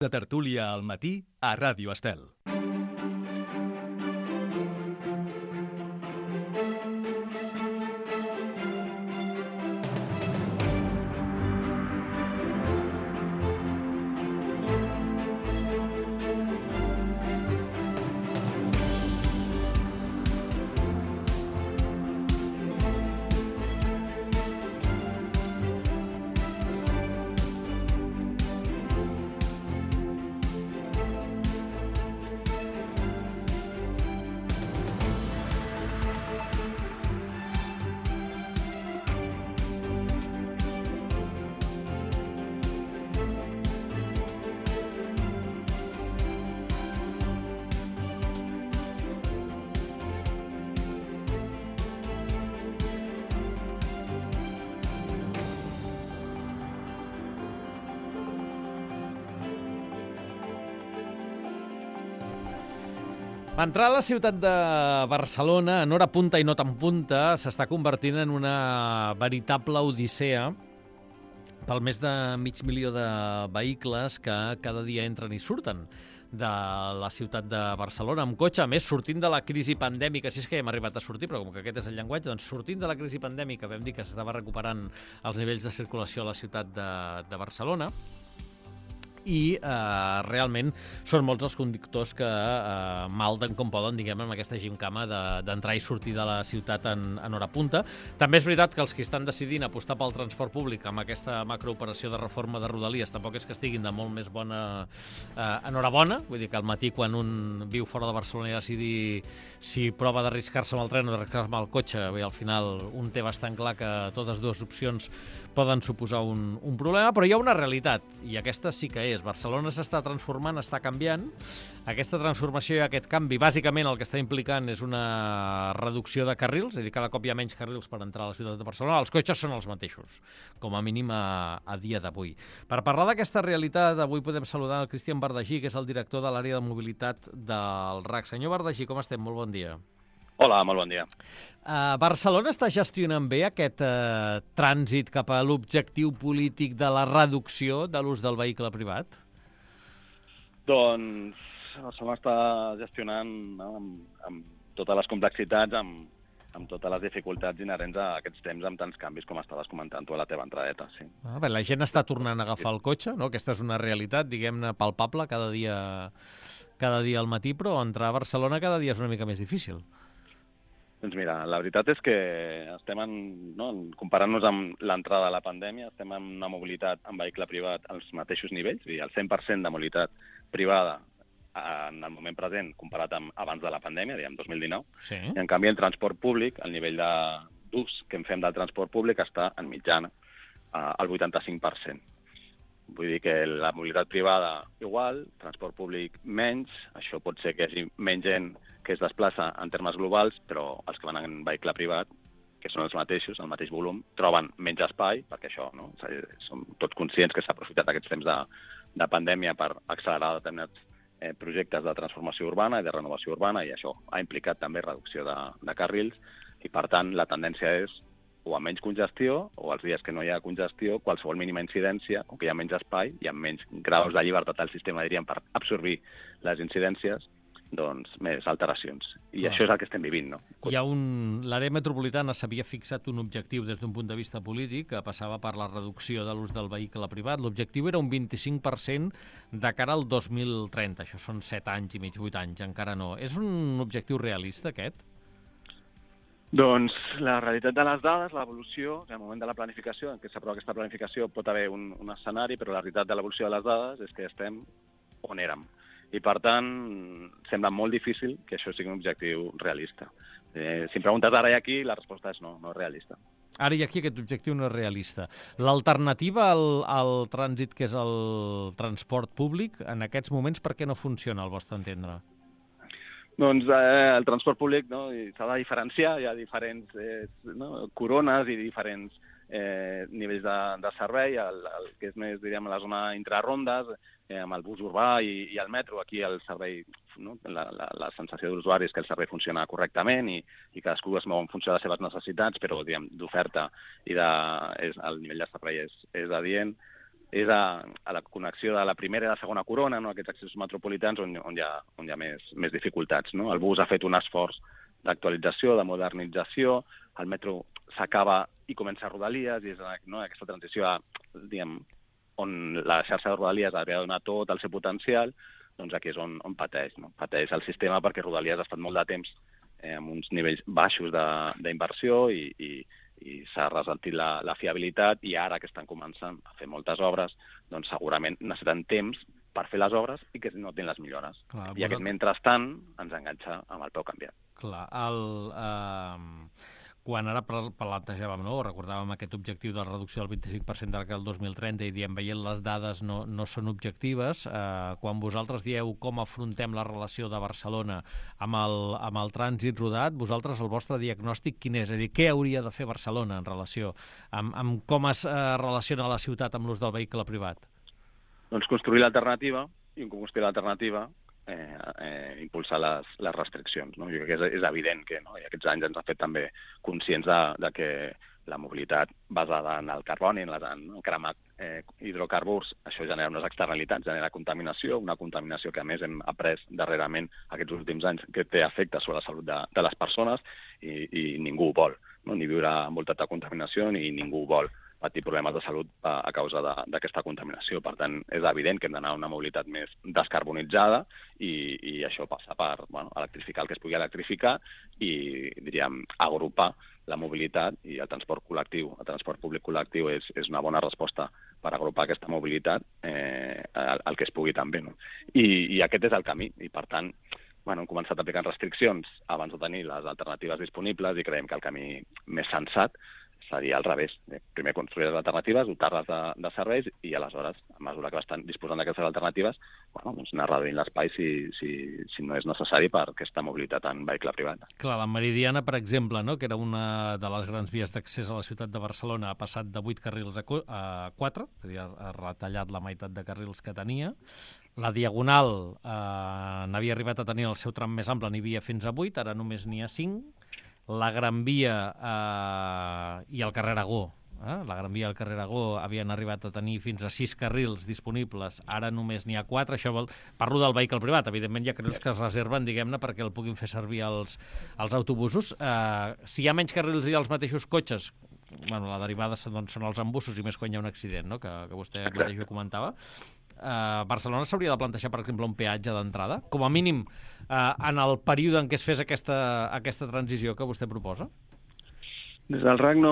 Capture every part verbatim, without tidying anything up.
De tertúlia al matí a Ràdio Estel. Entrar a la ciutat de Barcelona, en hora punta i no tan punta, s'està convertint en una veritable odissea pel més de mig milió de vehicles que cada dia entren i surten de la ciutat de Barcelona amb cotxe. A més, sortint de la crisi pandèmica, si és que ja hem arribat a sortir, però com que aquest és el llenguatge, doncs sortint de la crisi pandèmica, vam dir que s'estava recuperant els nivells de circulació a la ciutat de, de Barcelona, i eh, realment són molts els conductors que eh, malden com poden, diguem, amb aquesta gimcama d'entrar i sortir de la ciutat en, en hora punta. També és veritat que els que estan decidint apostar pel transport públic amb aquesta macrooperació de reforma de Rodalies tampoc és que estiguin de molt més bona eh, enhorabona, vull dir que al matí quan un viu fora de Barcelona i decidi si prova d'arriscar-se amb el tren o d'arriscar-se amb el cotxe, bé, al final un té bastant clar que totes dues opcions poden suposar un, un problema, però hi ha una realitat, i aquesta sí que és. Barcelona s'està transformant, està canviant. Aquesta transformació i aquest canvi, bàsicament el que està implicant és una reducció de carrils, és a dir, cada cop hi ha menys carrils per entrar a la ciutat de Barcelona. Els cotxes són els mateixos, com a mínim a, a dia d'avui. Per parlar d'aquesta realitat, avui podem saludar el Cristian Bardagí, que és el director de l'àrea de mobilitat del R A C. Senyor Bardagí, com estem? Molt bon dia. Hola, molt bon dia. Uh, Barcelona està gestionant bé aquest uh, trànsit cap a l'objectiu polític de la reducció de l'ús del vehicle privat? Doncs Barcelona està gestionant, no, amb, amb totes les complexitats, amb, amb totes les dificultats inherents a aquests temps, amb tants canvis com estaves comentant tu a la teva entradeta. Sí. Ah, bé, la gent està tornant a agafar el cotxe, no? Aquesta és una realitat, diguem-ne, palpable cada dia, cada dia al matí, però entrar a Barcelona cada dia és una mica més difícil. Doncs mira, la veritat és que estem en, no, comparant-nos amb l'entrada de la pandèmia, estem en una mobilitat en vehicle privat als mateixos nivells, és a dir, el cent per cent de mobilitat privada en el moment present comparat amb abans de la pandèmia, diguem, dos mil dinou. Sí. I en canvi el transport públic, el nivell d'ús que en fem del transport públic està en mitjana al vuitanta-cinc per cent. Vull dir que la mobilitat privada igual, transport públic menys, això pot ser que hi hagi menys gent que es desplaça en termes globals, però els que van en vehicle privat, que són els mateixos, el mateix volum, troben menys espai, perquè això, no? Som tots conscients que s'ha aprofitat aquests temps de, de pandèmia per accelerar determinats eh, projectes de transformació urbana i de renovació urbana, i això ha implicat també reducció de, de carrils, i per tant la tendència és o a menys congestió, o els dies que no hi ha congestió, qualsevol mínima incidència, o que hi ha menys espai, hi ha menys graus de llibertat al sistema, diríem, per absorbir les incidències, doncs més alteracions. I ah. això és el que estem vivint, no? Hi ha un... L'àrea metropolitana s'havia fixat un objectiu des d'un punt de vista polític que passava per la reducció de l'ús del vehicle privat. L'objectiu era un vint-i-cinc per cent de cara al dos mil trenta. Això són set anys i mig, vuit anys, encara no. És un objectiu realista, aquest? Doncs la realitat de les dades, l'evolució, en el moment de la planificació, en què s'aprova aquesta planificació, pot haver un, un escenari, però la realitat de l'evolució de les dades és que estem on érem. I, per tant, sembla molt difícil que això sigui un objectiu realista. Eh, si em preguntes ara i aquí, la resposta és no, no és realista. Ara i aquí aquest objectiu no és realista. L'alternativa al, al trànsit, que és el transport públic, en aquests moments, per què no funciona, al vostre entendre? Doncs eh, el transport públic, no, s'ha de diferenciar, hi ha diferents eh, no, corones i diferents eh, nivells de, de servei, el, el que és més, diríem, a la zona intrarondes, eh, amb el bus urbà i, i el metro, aquí el servei, no, la, la, la sensació de l'usuari és que el servei funciona correctament i, i cadascú es mou en funció de les seves necessitats, però d'oferta i de, és, el nivell de servei és, és adient. és a, a la connexió de la primera i la segona corona, no? Aquests accessos metropolitans on, on hi ha, on hi ha més, més dificultats. No? El bus ha fet un esforç d'actualització, de modernització, el metro s'acaba i comença a Rodalies, i és no? aquesta transició a, diguem, on la xarxa de Rodalies havia de donar tot el seu potencial, doncs aquí és on, on pateix. No? Pateix el sistema perquè Rodalies ha estat molt de temps eh, amb uns nivells baixos d'inversió i, i i s'ha ressentit la, la fiabilitat, i ara que estan començant a fer moltes obres, doncs segurament necessiten temps per fer les obres i que no tenen les millores. Clar, I aquest mentrestant ens enganxa amb el peu canviat. Clar, el, eh, quan ara plantejàvem, no? recordàvem aquest objectiu de la reducció del vint-i-cinc per cent d'ara al dos mil trenta i diem, veient les dades no, no són objectives, eh, quan vosaltres dieu com afrontem la relació de Barcelona amb el, amb el trànsit rodat, vosaltres el vostre diagnòstic quin és? És a dir, què hauria de fer Barcelona en relació amb, amb com es eh, relaciona la ciutat amb l'ús del vehicle privat? Doncs construir l'alternativa, i un construir l'alternativa Eh, eh, impulsar les, les restriccions. No? Jo crec que és, és evident que no? I aquests anys ens ha fet també conscients de, de que la mobilitat basada en el carboni, en, les, en el cremar eh, hidrocarburs, això genera unes externalitats, genera contaminació, una contaminació que a més hem après darrerament aquests últims anys que té efectes sobre la salut de, de les persones i, i ningú ho vol, no? Ni viure envoltat de contaminació ni ningú ho vol patir problemes de salut a, a causa d'aquesta contaminació. Per tant, és evident que hem d'anar a una mobilitat més descarbonitzada i, i això passa per bueno, electrificar el que es pugui electrificar i, diríem, agrupar la mobilitat i el transport col·lectiu. El transport públic col·lectiu és, és una bona resposta per agrupar aquesta mobilitat eh, al, al que es pugui també. No? I, I aquest és el camí. I, per tant, bueno, hem començat aplicant restriccions abans de tenir les alternatives disponibles i creiem que el camí més sensat seria al revés. Primer construir les alternatives, dotar-les de, de serveis i aleshores, a mesura que estan disposant d'aquestes alternatives, bueno, doncs anar reduint l'espai si, si, si no és necessari per aquesta mobilitat en vehicle privat. Clar, la Meridiana, per exemple, no? que era una de les grans vies d'accés a la ciutat de Barcelona, ha passat de vuit carrils a quatre, és a dir, ha retallat la meitat de carrils que tenia. La Diagonal eh, n'havia arribat a tenir el seu tram més ample, n'hi havia fins a vuit, ara només n'hi ha cinc. La Gran Via eh, i el carrer Aragó, eh? la Gran Via i el carrer Aragó havien arribat a tenir fins a sis carrils disponibles, ara només n'hi ha quatre. Això vol... Parlo del vehicle privat, evidentment hi ha carrils que es reserven, diguem-ne, perquè el puguin fer servir els, els autobusos. Eh, si hi ha menys carrils i els mateixos cotxes, bueno, la derivada doncs, són els embussos i més quan hi ha un accident, no? que, que vostè mateix ho comentava. Uh, Barcelona s'hauria de plantejar, per exemple, un peatge d'entrada, com a mínim uh, en el període en què es fes aquesta, aquesta transició que vostè proposa? Des del R A C no,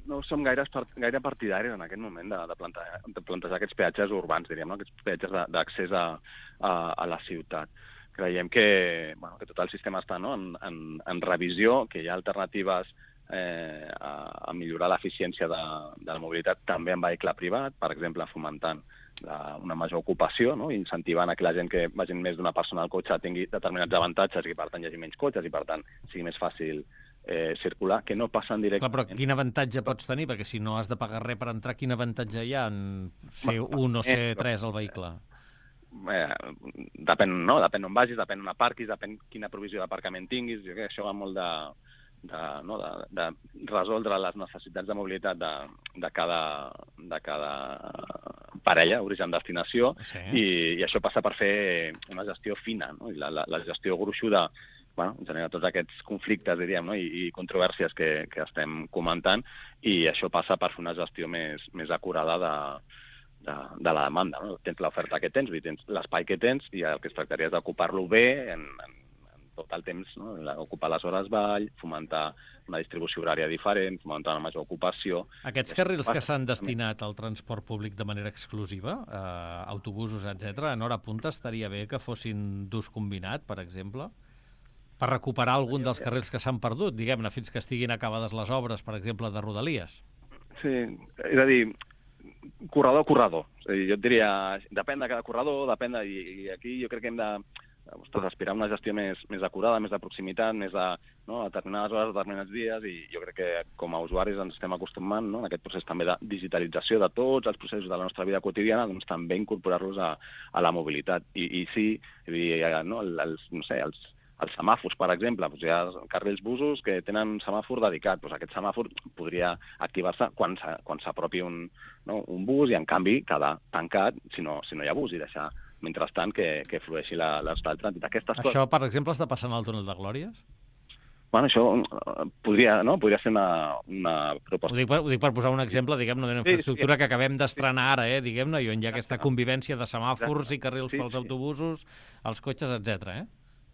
no som gaire, gaire partidaris en aquest moment de, de, plantejar, de plantejar aquests peatges urbans, diríem, no? Aquests peatges d'accés a, a, a la ciutat. Creiem que, bueno, que tot el sistema està no? en, en, en revisió, que hi ha alternatives eh, a, a millorar l'eficiència de, de la mobilitat també en vehicle privat, per exemple, fomentant la, una major ocupació, no? Incentivant a que la gent que vagin més d'una persona al cotxe tingui determinats avantatges i, per tant, hi hagi menys cotxes i, per tant, sigui més fàcil eh, circular, que no passen directament. Clar, però quin avantatge pots tenir? Perquè si no has de pagar res per entrar, quin avantatge hi ha en ser un o ser tres al vehicle? Eh, depèn, no? Depèn on vagis, depèn on aparquis, depèn quina provisió d'aparcament tinguis. Jo crec que això va molt de, de, no? de, de resoldre les necessitats de mobilitat de, de, cada, de cada parella, origen-destinació, sí. i, i això passa per fer una gestió fina, no? I la, la, la gestió gruixuda bueno, genera tots aquests conflictes, diríem, no? I, i controvèrsies que, que estem comentant, i això passa per fer una gestió més, més acurada de, de, de la demanda. No? Tens l'oferta que tens, tens l'espai que tens, i el que es tractaria és d'ocupar-lo bé en, en, en tot el temps, no? Ocupar les hores ball, fomentar una distribució horària diferent, fomentar una major ocupació. Aquests carrils que s'han destinat al transport públic de manera exclusiva, eh, autobusos, etcètera, en hora punta estaria bé que fossin d'ús combinat, per exemple, per recuperar algun dels carrils que s'han perdut, diguem-ne, fins que estiguin acabades les obres, per exemple, de Rodalies. Sí, és a dir, corredor, corredor. És a dir, jo et diria, depèn de cada corredor, depèn de... I aquí jo crec que hem de ostres, aspirar a una gestió més, més acurada, més de proximitat, més de, no, a determinades hores, a determinats dies, i jo crec que com a usuaris ens estem acostumant, no, en aquest procés també de digitalització de tots els processos de la nostra vida quotidiana, doncs també incorporar-los a, a la mobilitat. I, i sí, no, els, no sé, els, els semàfors, per exemple, doncs hi ha carrils busos que tenen un semàfor dedicat. Doncs aquest semàfor podria activar-se quan s'apropi un, no, un bus i, en canvi, quedar tancat si no, si no hi ha bus i deixar, mentrestant, que, que flueixi l'estat del trànsit. Aquestes Això, coses... per exemple, està passant al túnel de Glòries? Bueno, això podria, no? podria ser una, una proposta. Ho dic, per, ho dic per posar un exemple, diguem-ne, d'una infraestructura sí, sí. que acabem d'estrenar ara, eh, diguem-ne, i on hi ha aquesta convivència de semàfors i carrils sí, pels sí. autobusos, els cotxes, etcètera. Eh?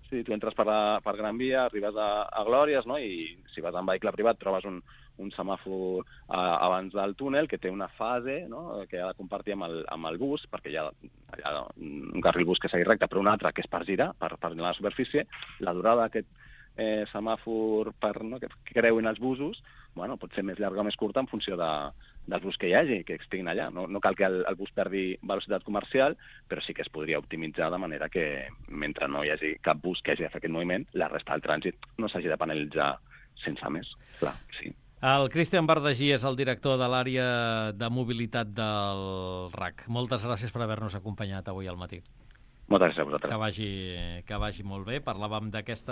Sí, tu entres per, la, per Gran Via, arribes a, a Glòries, no? I si vas en vehicle privat trobes un, un semàfor a, abans del túnel que té una fase, no? Que ha de compartir amb el, amb el bus, perquè hi ha, hi ha un carril bus que segueix recte, però un altre que és per girar, per, per la superfície. La durada d'aquest eh, semàfor per, no, que creuin els busos, bueno, pot ser més llarga o més curta en funció de, dels bus que hi hagi, que estiguin allà. No, no cal que el, el bus perdi velocitat comercial, però sí que es podria optimitzar de manera que, mentre no hi hagi cap bus que hagi de fer aquest moviment, la resta del trànsit no s'hagi de penalitzar sense més. Clar, sí. El Cristian Bardagí és el director de l'àrea de mobilitat del R A C. Moltes gràcies per haver-nos acompanyat avui al matí. Moltes gràcies a vosaltres. Que vagi, que vagi molt bé. Parlàvem d'aquesta